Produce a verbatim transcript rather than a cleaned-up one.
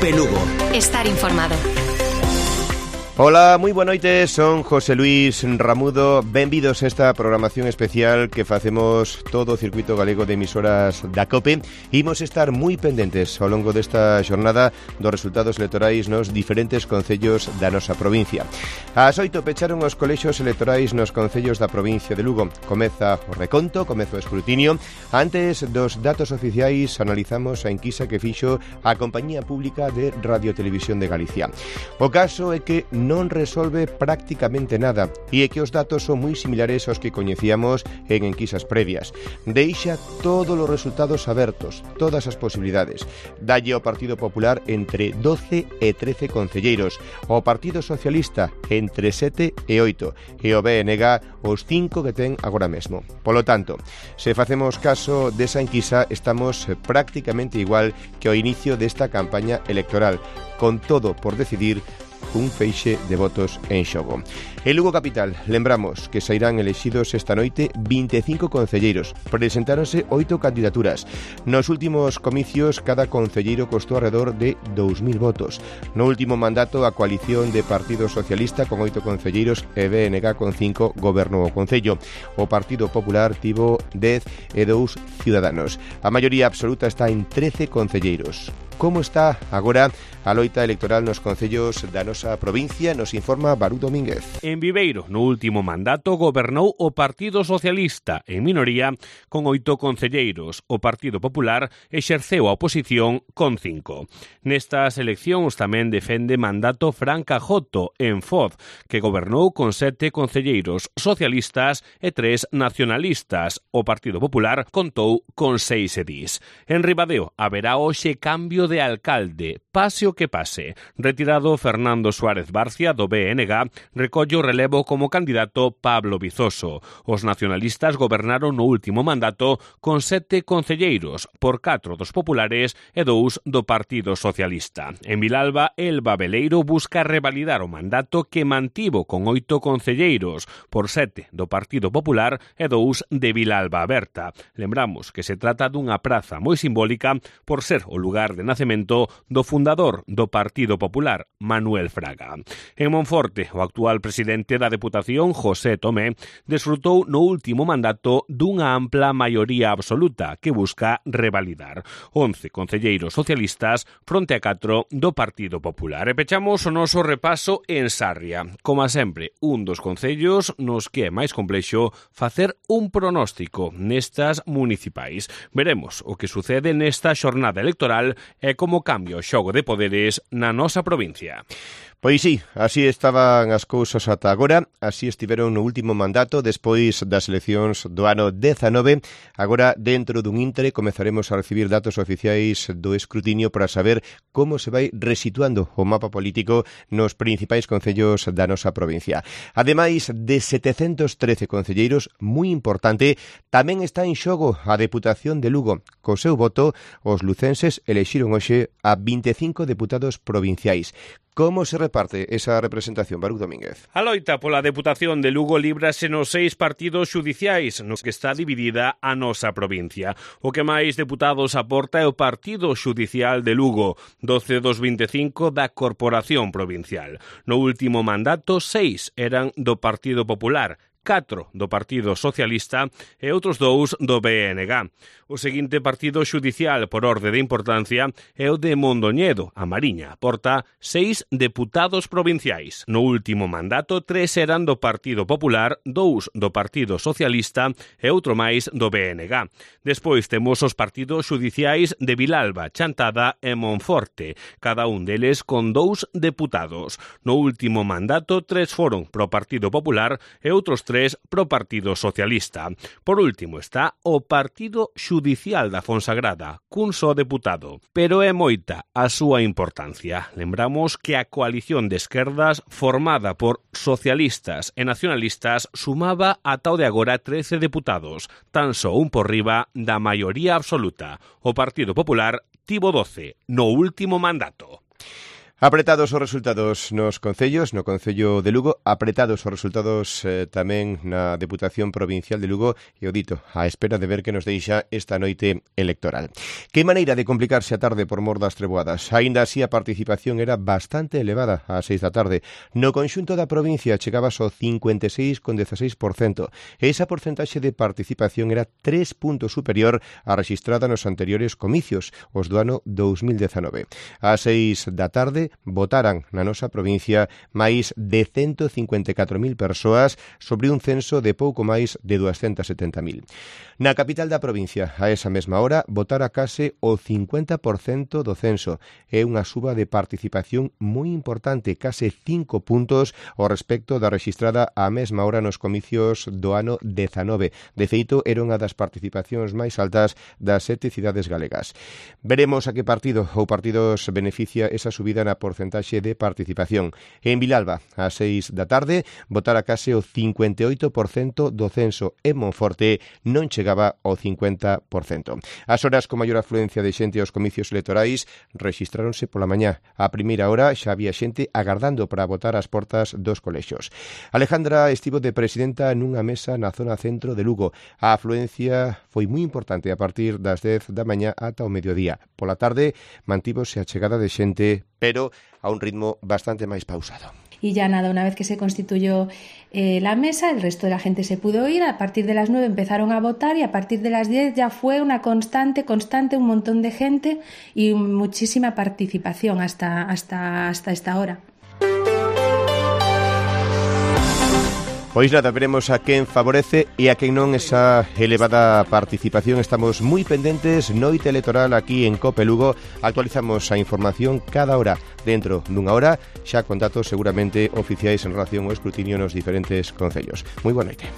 COPE Lugo. Estar informado. Ola, moi boa noite, son José Luis Ramudo. Benvidos a esta programación especial que facemos todo o circuito galego de emisoras da COPE. Imos estar moi pendentes ao longo desta xornada dos resultados electorais nos diferentes concellos da nosa provincia. Ás oito pecharon os colexios electorais nos concellos da provincia de Lugo. Comeza o reconto, comeza o escrutinio. Antes dos datos oficiais analizamos a enquisa que fixo a Compañía Pública de Radio Televisión de Galicia. O caso é que non resolve prácticamente nada e é que os datos son moi similares aos que coñecíamos en enquisas previas. Deixa todos os resultados abertos, todas as posibilidades. Dalle ao Partido Popular entre doce e trece concelleiros, ao Partido Socialista entre sete e oito e ao B N G os cinco que ten agora mesmo. Polo tanto, se facemos caso desa enquisa, estamos prácticamente igual que ao inicio desta campaña electoral, con todo por decidir un feixe de votos en xogo. En Lugo Capital, lembramos que sairán elexidos esta noite vinte e cinco concelleiros. Presentáronse oito candidaturas. Nos últimos comicios, cada concelleiro costou alrededor de dous mil votos. No último mandato, a coalición de Partido Socialista con oito concelleiros e B N G con cinco gobernou o concello. O Partido Popular tivo dez e dous ciudadanos. A maioría absoluta está en trece concelleiros. Como está agora a loita electoral nos concellos da nosa provincia? Nos informa Barú Domínguez. En Viveiro, no último mandato, gobernou o Partido Socialista, en minoría, con oito concelleiros. O Partido Popular exerceu a oposición con cinco. Nestas eleccións tamén defende mandato Fran Cajoto, en Foz, que gobernou con sete concelleiros socialistas e tres nacionalistas. O Partido Popular contou con seis edís. En Ribadeo haberá hoxe cambio de alcalde, pase o que pase. Retirado Fernando Suárez Barcia do B N G, recolle o relevo como candidato Pablo Vizoso. Os nacionalistas gobernaron no último mandato con sete concelleiros, por catro dos populares e dous do Partido Socialista. En Vilalba, Elba Veleiro busca revalidar o mandato que mantivo con oito concelleiros, por sete do Partido Popular e dous de Vilalba Aberta. Lembramos que se trata dunha praza moi simbólica por ser o lugar de nacemento do fundador do Partido Popular, Manuel Fraga. En Monforte, o actual presidente da Deputación, José Tomé, desfrutou no último mandato dunha ampla maioría absoluta que busca revalidar. once concelleiros socialistas fronte a catro do Partido Popular. E pechamos o noso repaso en Sarria. Como sempre, un dos concellos nos que é máis complexo facer un pronóstico nestas municipais. Veremos o que sucede nesta xornada electoral e como cambia o xogo de poderes na nosa provincia. Pois sí, así estaban as cousas ata agora, así estiveron no último mandato despois das eleccións do ano dezanove. Agora, dentro dun intre, comezaremos a recibir datos oficiais do escrutinio para saber como se vai resituando o mapa político nos principais concellos da nosa provincia. Ademais de setecentos trece concelleiros, moi importante, tamén está en xogo a Deputación de Lugo. Co seu voto, os lucenses elexiron hoxe a vinte e cinco deputados provinciais. Como se reparte esa representación, Barú Domínguez? A loita pola Deputación de Lugo líbrase nos seis partidos xudiciais nos que está dividida a nosa provincia. O que máis deputados aporta é o Partido Xudicial de Lugo, doce dos vinte e cinco da Corporación Provincial. No último mandato, seis eran do Partido Popular, catro do Partido Socialista e outros dous do B N G. O seguinte partido xudicial por orde de importancia é o de Mondoñedo, a Mariña. Aporta seis deputados provinciais. No último mandato, tres eran do Partido Popular, dous do Partido Socialista e outro máis do B N G. Despois temos os partidos xudiciais de Vilalba, Chantada e Monforte, cada un deles con dous deputados. No último mandato, tres foron pro Partido Popular e outros tres pro Partido Socialista. Por último está o Partido Xudicial da Fonsagrada, cun só deputado. Pero é moita a súa importancia. Lembramos que a coalición de esquerdas formada por socialistas e nacionalistas sumaba ata o de agora trece deputados, tan só un por riba da maioría absoluta. O Partido Popular tivo doce no último mandato. Apretados os resultados nos concellos, no Concello de Lugo, apretados os resultados eh, tamén na Deputación Provincial de Lugo e o dito, á espera de ver que nos deixa esta noite electoral. Que maneira de complicarse a tarde por mor das treboadas. Aínda así a participación era bastante elevada ás seis da tarde. No conxunto da provincia chegaba ao cincuenta e seis coma dieciséis por cento e esa porcentaxe de participación era tres puntos superior á rexistrada nos anteriores comicios, os do ano dous mil dezanove. Ás seis da tarde votaran na nosa provincia máis de ciento cincuenta e catro mil persoas sobre un censo de pouco máis de duascentas setenta mil. Na capital da provincia, a esa mesma hora, votara case o cincuenta por cento do censo. É unha suba de participación moi importante, case cinco puntos ao respecto da rexistrada á mesma hora nos comicios do ano dezanove. De feito, era unha das participacións máis altas das sete cidades galegas. Veremos a que partido ou partidos beneficia esa subida na porcentaxe de participación. En Vilalba, ás seis da tarde, votara case o cincuenta e oito por cento do censo. En Monforte non chegaba ao cincuenta por cento. As horas con maior afluencia de xente aos comicios electorais rexistráronse pola mañá. A primeira hora xa había xente agardando para votar ás portas dos colexios. Alejandra estivo de presidenta nunha mesa na zona centro de Lugo. A afluencia foi moi importante a partir das dez da mañá ata o mediodía. Pola tarde mantívose a chegada de xente, pero a un ritmo bastante máis pausado. Y ya nada, una vez que se constituyó eh, la mesa, el resto de la gente se pudo ir. A partir de las nueve empezaron a votar y a partir de las diez ya fue una constante, constante, un montón de gente y muchísima participación hasta, hasta, hasta esta hora. Pois nada, veremos a quen favorece e a quen non esa elevada participación. Estamos moi pendentes, noite electoral aquí en Cope Lugo. Actualizamos a información cada hora. Dentro dunha hora, xa con datos seguramente oficiais en relación ao escrutinio nos diferentes concellos. Moi boa noite.